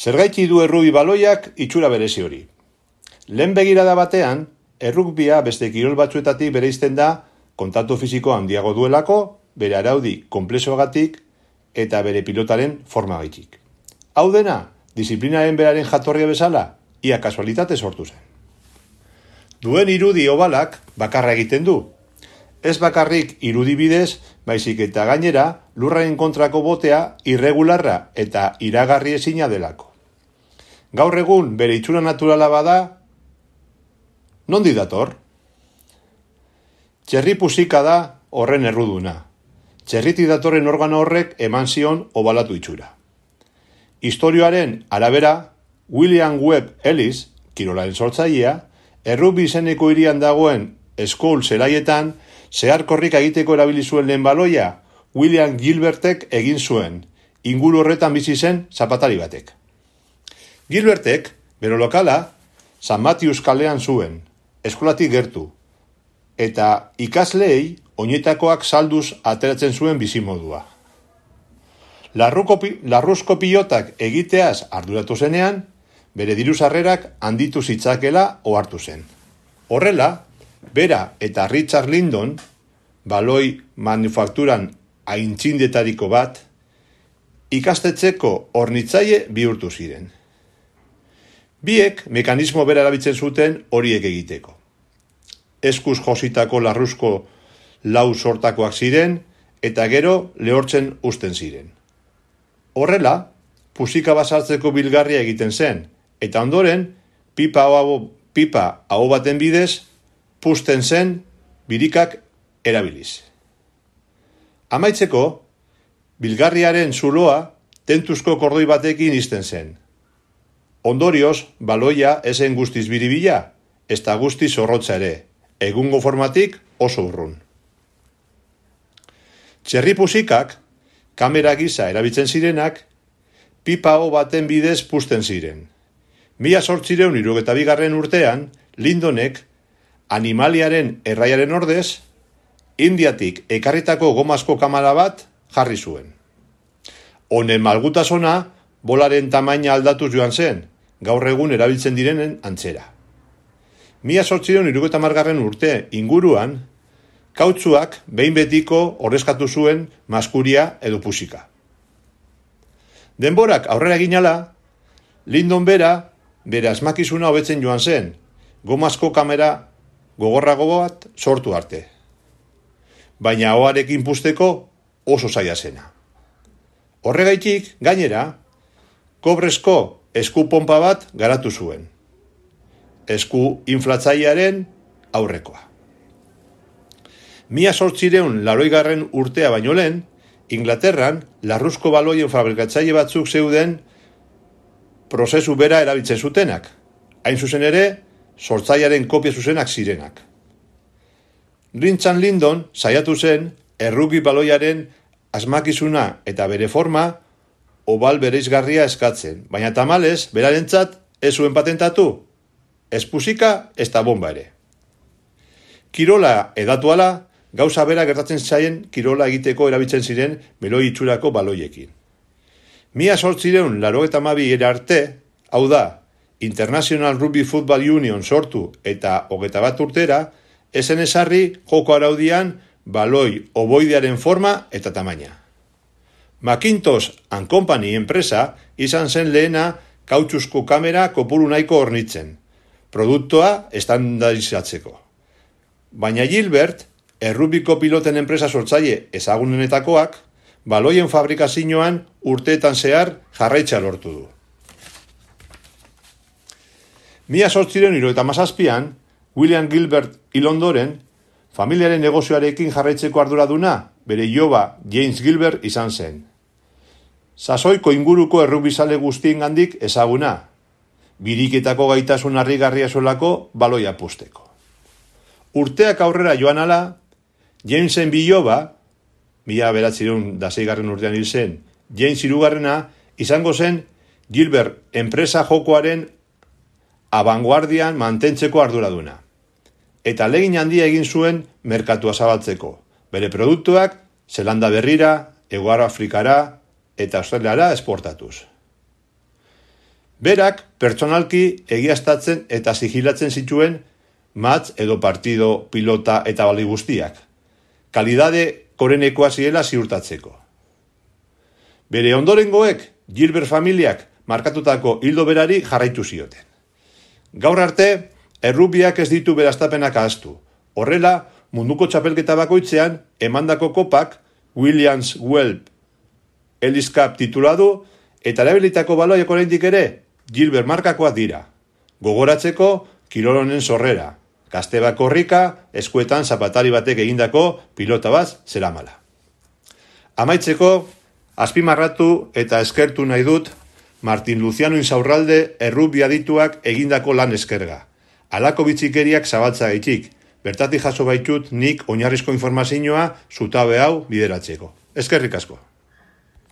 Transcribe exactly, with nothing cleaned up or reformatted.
Zergaiti du errugbi baloiak itxura berezi hori. Lehen begirada batean, errugbia beste kirol batzuetatik bereizten da kontaktu fisiko handiago duelako, bere araudi konplexoagatik eta bere pilotaren formagaitik. Hau dena, disiplinaren beraren jatorria bezala, ia kasualitate sortu zen. Duen irudi obalak bakarra egiten du. Ez bakarrik irudi bidez, baizik eta gainera lurraren kontrako botea irregularra eta iragarri ezina delako. Gaur egun bere itxura naturala bada, nondi dator? Txerri pusika da horren erruduna. Txerriti datorren organo horrek eman zion obalatu itxura. Historioaren arabera, William Webb Ellis, kirolaren sortzailea, errugbi izeneko hirian dagoen School zelaietan, zeharkorrik egiteko erabili zuen lehen baloia, William Gilbertek egin zuen, inguru horretan bizi zen zapatari batek. Gilbertek, bero lokala, San Matius kalean zuen, eskolatik gertu, eta ikasleei oinetakoak salduz ateratzen zuen bizimodua. Larruzko pilotak egiteaz arduratu zenean, bere diru sarrerak handitu zitzakela ohartu zen. Horrela, bera eta Richard Lindon, baloi manufakturan aintzindetariko bat, ikastetxeko hornitzaile bihurtu ziren. Biek mekanismo bera erabiltzen zuten horiek egiteko. Eskuz jositako larruzko lau sortakoak ziren eta gero lehortzen uzten ziren. Horrela, pusika basartzeko bilgarria egiten zen, eta ondoren pipa hau, pipa hau baten bidez puzten zen birikak erabiliz. Amaitzeko, bilgarriaren zuloa tentuzko kordoi batekin izten zen. Ondorioz, baloia esen guztiz biribila, ez da guztiz zorrotza ere, egungo formatik oso urrun. Txerri pusikak, kamera gisa erabiltzen zirenak, pipa hau baten bidez puzten ziren. Mila zortzireun hirurogeita bigarren urtean, Lindonek, animaliaren erraiaren ordez, Indiatik ekarritako gomazko kamera bat jarri zuen. Honen malgutasuna, bolaren tamaina aldatuz joan zen, gaur egun erabiltzen direnen antzera. Mila zortzireun hirurogeita hamargarren urte inguruan, kautzuak behin betiko ordezkatu zuen maskuria edo pusika. Denborak aurrera ginala, Lindon bera bere asmakizuna hobetzen joan zen, gomazko kamera gogorrago bat sortu arte. Baina ahoarekin puzteko oso zaila zena. Horregaitik, gainera, kobrezko esku ponpa bat garatu zuen. Esku inflatzailearen aurrekoa. Mila zortzireun laroigarren urtea baino lehen, Inglaterran larruzko baloien fabrikatzaile batzuk zeuden prozesu bera erabiltzen zutenak. Hain zuzen ere, sortzailearen kopia zuzenak zirenak. Richard Lindon saiatu zen errugbi baloiaren asmakizuna eta bere forma obal bereizgarria eskatzen, baina tamalez, berarentzat ez zuen patentatu, ez pusika, ez da bomba ere. Kirola edatu ala, gauza bera gertatzen zaien kirola egiteko erabiltzen ziren beloi itxurako baloiekin. Mila zortzireun laurogeita hamabi arte, hau da, International Rugby Football Union sortu eta hogeita bat urtera, ezen ezarri joko araudian baloi oboidearen forma eta tamaina. Macintosh and Company enpresa izan zen lehena kautxuzko kamera kopuru nahiko hornitzen, produktua estandarizatzeko. Baina Gilbert, errubiko piloten enpresa sortzaile ezagunenetakoak, baloien fabrikazioan urteetan zehar jarraitza lortu du. Mila zortzireun hirurogeita hamazazpian, William Gilbert hil ondoren, familiaren negozioarekin jarraitzeko arduraduna, bere iloba James Gilbert izan zen. Sasoiko inguruko errugbizale guztiengandik ezaguna, biriketako gaitasun harrigarria zuelako baloia puzteko. Urteak aurrera joan ala, Jamesen biloba, mila beratzireun da zeigarren urtean hil zen, James hirugarrena, izango zen Gilbert enpresa jokoaren abanguardian mantentzeko arduraduna. Eta legin handia egin zuen merkatua zabaltzeko. Bere produktuak Zelanda berrira, Hego Afrikara eta Australiara esportatuz. Berak pertsonalki egiaztatzen eta sigilatzen zituen match edo partido, pilota eta bali guztiak. Kalidade korenekoa ziela ziurtatzeko. Bere ondorengoek Gilbert familiak markatutako hildo berari jarraitu zioten. Gaur arte, errubiak ez ditu beraztapenak ahaztu. Horrela, munduko txapelketa bakoitzean emandako kopak Williams Whelp Ellis Cup tituladu eta erabilitako baloiak oraindik ere Gilbert markakoak dira. Gogoratzeko kirolonen sorrera. Gazteba korrika, eskuetan zapatari batek egindako pilota bat zeramala. Amaitzeko, azpimarratu eta eskertu nahi dut Martin Luciano Insaurralde errubia adituak egindako lan eskerga. Halako bitxikeriak zabaltza gaitik, bertatik jaso baitut nik oinarrizko informazioa zutabe hau bideratzeko. Eskerrik asko.